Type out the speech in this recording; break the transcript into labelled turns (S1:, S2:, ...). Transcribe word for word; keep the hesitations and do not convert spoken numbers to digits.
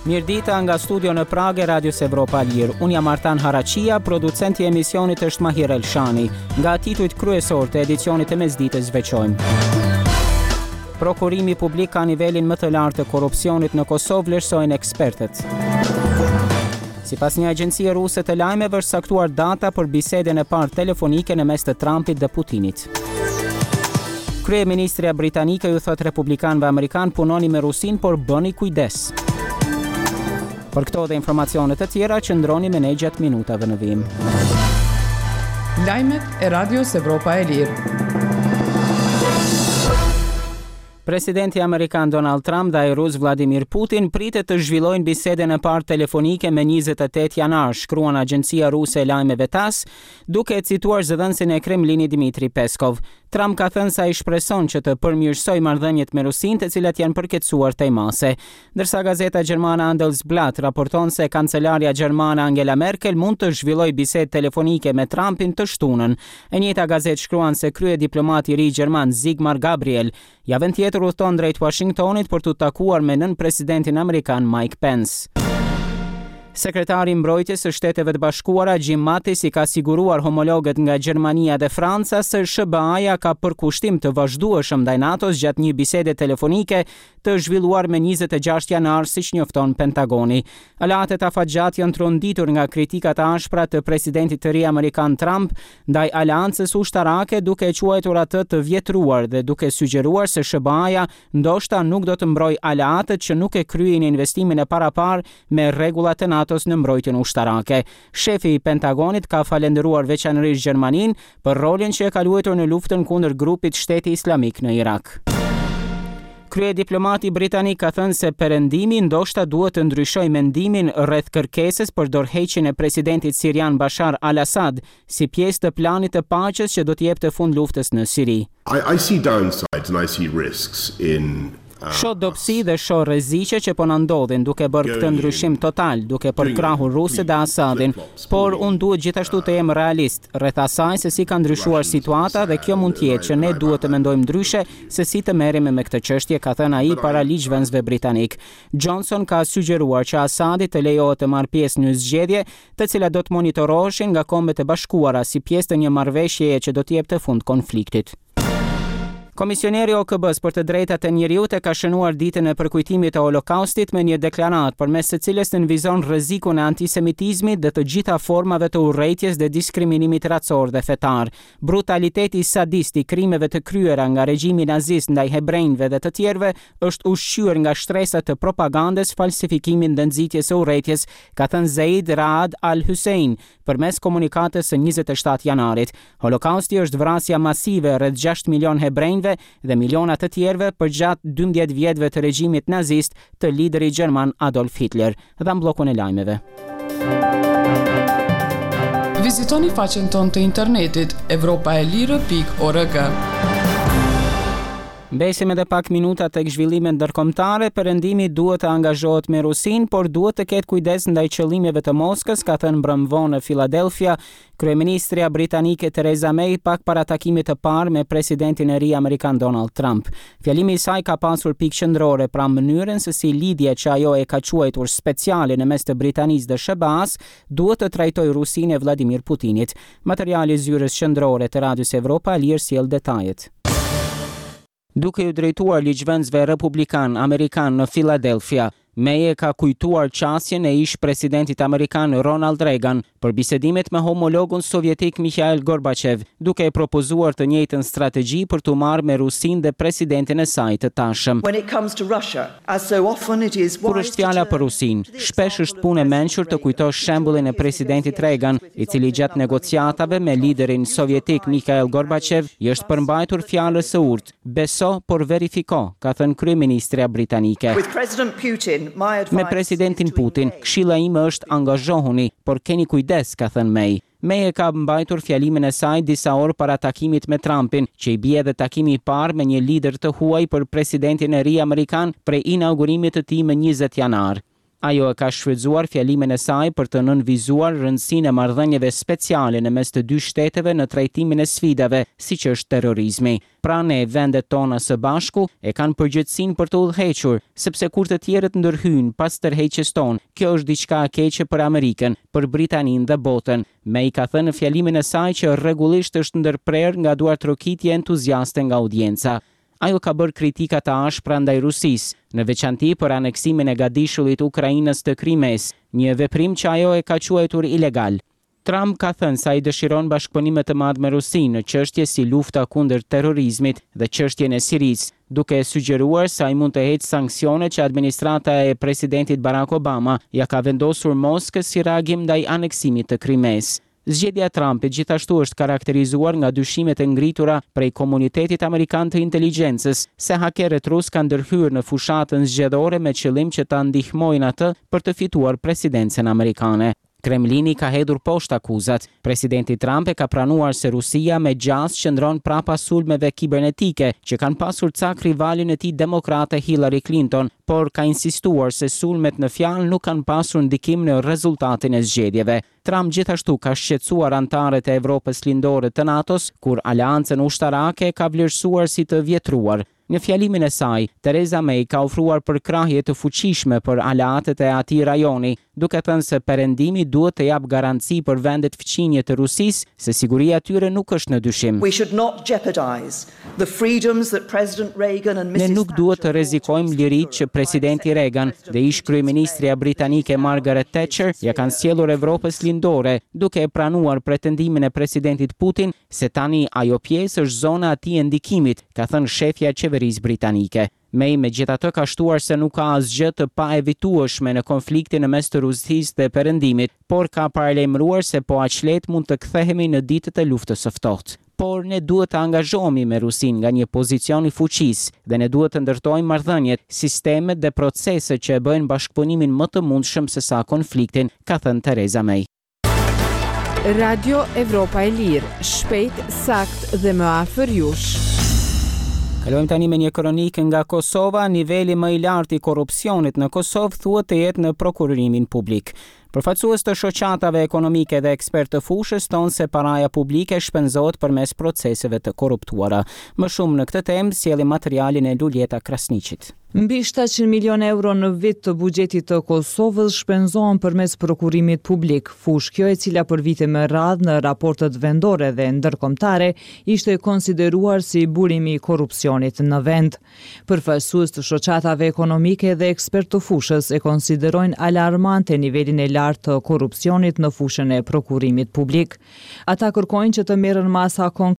S1: Mirëdita nga studio në Pragë e Radios Evropa e Lirë. Unë jam Artan Haraqia, producenti i emisionit është Mahir Elshani. Nga titujt kryesor të edicionit të mesditës veçojmë: Prokurimi publik ka nivelin më të lartë të korrupsionit në Kosovë, vlerësojnë ekspertët. Sipas një agjencie ruse të lajmeve, është caktuar data për bisedën e parë telefonike në mes të Trumpit dhe Putinit. Kryeministrja britanike ju thot republikanëve amerikan: "Punoni me Rusin, por bëni kujdes." Për këto dhe informacione të tjera, qëndroni me ne gjatë minutave në vijim.
S2: Lajmet e Radios Evropa e Lirë.
S1: Presidenti amerikan Donald Trump dhe ai rus Vladimir Putin pritet të zhvillojnë bisedën e parë telefonike me njëzet e tetë janar, shkruan agjencia ruse e lajmeve TASS, duke cituar zëdhënësin e Kremlinit Dmitry Peskov. Trump ka thënë se ai shpreson që të përmirësojë marrëdhëniet me Rusinë, të cilat janë përkeqësuar tej mase. Ndërsa gazeta gjermane Handelsblatt raporton se kancelarja gjermane Angela Merkel mund të zhvillojë bisedë telefonike me Trumpin të shtunën. E njëjta gazetë shkruan se kryediplomati i ri gjerman Sigmar Gabriel javën tjetër udhton drejt Washingtonit për t'u takuar me nën presidentin amerikan Mike Pence. Sekretari i Mbrojtjes së Shteteve të Bashkuara Jim Mattis i ka siguruar homologët nga Gjermania dhe Franca se S H B A-ja ka përkushtim të vazhdueshëm ndaj NATO-s gjatë një bisede telefonike të zhvilluar me njëzet e gjashtë janar, siç njofton Pentagoni. Aleatët afatgjatë janë tronditur nga kritikat e ashpra të presidentit të ri amerikan Trump ndaj aleancës ushtarake, duke e quajtur atë të vjetruar dhe duke sugjeruar se S H B A-ja ndoshta nuk do të mbrojë aleatët që nuk e kryejnë investimin e parapar me rregullat e NATO-s në mbrojtjen ushtarake. Shefi i Pentagonit ka falendëruar veçanërisht Gjermaninë për rolin që e ka luajtur në luftën kundër grupit Shteti Islamik në Irak. Kryediplomati britanik ka thënë se Perëndimi ndoshta duhet të ndryshojë mendimin rreth kërkesës për dorëheqjen e presidentit sirian Bashar al-Assad si pjesë të planit të paqes që do t'i jepte fund luftës në Siri.
S3: I, I see downsides and I see risks in uh,
S1: "Shoh dobësi dhe shoh rreziqe që po na ndodhin duke bërë këtë ndryshim total, duke përkrahur rusët dhe Assadin, por unë duhet gjithashtu të jem realist rreth asaj se si ka ndryshuar situata dhe kjo mund të jetë që ne duhet të mendojmë ndryshe se si të merremi me këtë çështje", ka thënë ai para ligjvënësve britanik. Johnson ka sugjeruar që Assadi të lejohet të marrë pjesë në zgjedhje, të cilat do të monitoroheshin nga Kombet e Bashkuara si pjesë të një marrëveshjeje që do t'i jepte fund konfliktit. Komisioneri O K B-s për të drejtat e njeriut e ka shënuar ditën e përkujtimit të Holokaustit me një deklaratë përmes së cilës nënvizon rrezikun e antisemitizmit dhe të gjitha formave të urrejtjes dhe diskriminimit racor dhe fetar. "Brutaliteti sadist i krimeve të kryera nga regjimi nazist ndaj hebrejve dhe të tjerëve është ushqyer nga shtresa të propagandës, falsifikimit dhe nxitjes së urrejtjes", ka thënë Zeid Raad Al Hussein përmes komunikatës së njëzet e shtatë janarit. Holokausti është vrasja masive rreth gjashtë milion hebrejve dhe miliona të tjerëve përgjatë dymbëdhjetë vjetëve të regjimit nazist të liderit gjerman Adolf Hitler. Dhe në bllokun e lajmeve.
S2: Vizitoni faqen tonë të internetit evropaelire pikë org.
S1: Mbesim edhe pak minuta tek zhvillimet ndërkombëtare. Perëndimi duhet të angazhohet me Rusinë, por duhet të ketë kujdes ndaj qëllimeve të Moskës, ka thënë mbrëmë vonë në Philadelphia kryeministrja britanike Theresa May pak para takimit të parë me presidentin e ri amerikan Donald Trump. Fjalimi i saj ka pasur pikë qendrore pra mënyrën se si lidhja që ajo e ka quajtur speciale në mes të Britanisë dhe S H B A-s duhet të trajtojë Rusinë e Vladimir Putinit. Materiali i zyrës qendrore të Radios Evropa e Lirë sjell detajet. Duke ju drejtuar ligjvënësve republikan amerikan në Philadelphia, May e ka kujtuar qasjen e ish presidentit amerikan Ronald Reagan për bisedimet me homologun sovjetik Mikhail Gorbachev, duke e propozuar të njëjtën strategji për të marrë me Rusinë dhe presidentin e saj të tashëm. "Kur është fjala për Rusinë, shpesh është punë e mençur të kujtosh shembullin e presidentit Reagan, i cili gjatë negociatave me liderin sovjetik Mikhail Gorbachev i është përmbajtur fjalës së urtë: 'Beso, por verifiko'", ka thënë kryeministrja britanike. "Me presidentin Putin, këshilla ime është angazhohuni, por keni kujdes", ka thënë May. May e ka mbajtur fjalimin e saj disa orë para takimit me Trumpin, që i bie edhe takimi i parë me një lider të huaj për presidentin e ri amerikan prej inaugurimit të tij më njëzet janar. Ajo e ka shfrytëzuar fjalimin e saj për të nënvizuar rëndësinë e marrëdhënieve speciale në mes të dy shteteve në trajtimin e sfidave, siç është terrorizmi. Pra ne, vendet tona së bashku, e kanë përgjegjësinë për të udhëhequr, sepse kur të tjerët ndërhyjnë pas tërheqjes tonë, kjo është diçka e keqe për Amerikën, për Britaninë dhe botën. May ka thënë në fjalimin e saj që rregullisht është ndërprerë nga duartrokitje entuziaste nga audienca. Ajo ka bërë kritika të ashpra ndaj Rusisë, në veçanti për aneksimin e gadishullit Ukrainës të Krimesë, një veprim që ajo e ka quajtur ilegal. Trump ka thënë se ai dëshiron bashkëpunime të madh me Rusinë në çështje si lufta kundër terrorizmit dhe çështjen e Sirisë, duke sugjeruar se ai mund të heqë sanksione që administrata e presidentit Barack Obama ja ka vendosur Moskës si reagim ndaj aneksimit të Krimesë. Zgjedhja e Trumpit gjithashtu është karakterizuar nga dyshimet e ngritura prej komunitetit amerikan të inteligjencës se hakerët rus kanë ndërhyrë në fushatën zgjedhore me qëllim që ta ndihmojnë atë për të fituar presidencën amerikane. Kremlini ka hedhur poshtë akuzat. Presidenti Trump e ka pranuar se Rusia me gjasë qëndron prapa sulmeve kibernetike që kanë pasur cak rivalin e tij demokrate Hillary Clinton, por ka insistuar se sulmet në fjalë nuk kanë pasur ndikim në rezultatin e zgjedhjeve. Trump gjithashtu ka shqetësuar anëtarët e Evropës Lindore të NATO-s, kur aleancën ushtarake ka vlerësuar si të vjetruar. Në fjalimin e saj, Theresa May ka ofruar përkrahje të fuqishme për aleatët e atij rajoni, duke thënë se Perëndimi duhet të japë garanci për vendet fqinje të Rusisë se siguria e tyre nuk është në dyshim.
S4: We should not jeopardize the freedoms that President Reagan and
S1: Ne
S4: Missus
S1: nuk duhet të rrezikojmë liritë që presidenti Reagan dhe ish kryeministrja britanike Margaret Thatcher ja kanë sjellur Evropës Lindore, duke e pranuar pretendimin e presidentit Putin se tani ajo pjesë është zona e tij e ndikimit, ka thënë shefja e qeverisë britanike. May megjithatë ka shtuar se nuk ka asgjë të paevitueshme në konfliktin në mes të Rusisë dhe Perëndimit, por ka paralajmëruar se po aq lehtë mund të kthehemi në ditët e luftës së ftohtë. Por ne duhet të angazhohemi me Rusinë nga një pozicion i fuqisë dhe ne duhet të ndërtojmë marrëdhëniet, sistemet dhe proceset që e bëjnë bashkëpunimin më të mundshëm se sa konfliktin, ka thënë Theresa May.
S5: Radio Evropa e Lirë, shpejt, sakt dhe më afër jush.
S1: Kalojmë tani me një kronikë nga Kosova. Niveli më i lartë i korrupsionit në Kosovë thuhet të jetë në prokurorimin publik. Përfaqësues të shoqatave ekonomike dhe ekspertë të fushës thonë se paraja publike shpenzohet përmes proceseve të korruptuara. Më shumë në këtë temë sjellim materialin e Luljeta Krasniqit.
S6: Mbi shtatëqind milion euro në vit të buxhetit të Kosovës shpenzohen përmes prokurimit publik, fushë kjo e cila për vite me radhë në raportet vendore dhe ndërkombëtare ishte konsideruar si burimi i korrupsionit në vend. Përfaqësues të shoqatave ekonomike dhe ekspertë të fushës e konsiderojnë alarmante nivelin e lartë të korrupsionit në fushën e prokurimit publik. Ata kërkojnë që të merren masa konkrete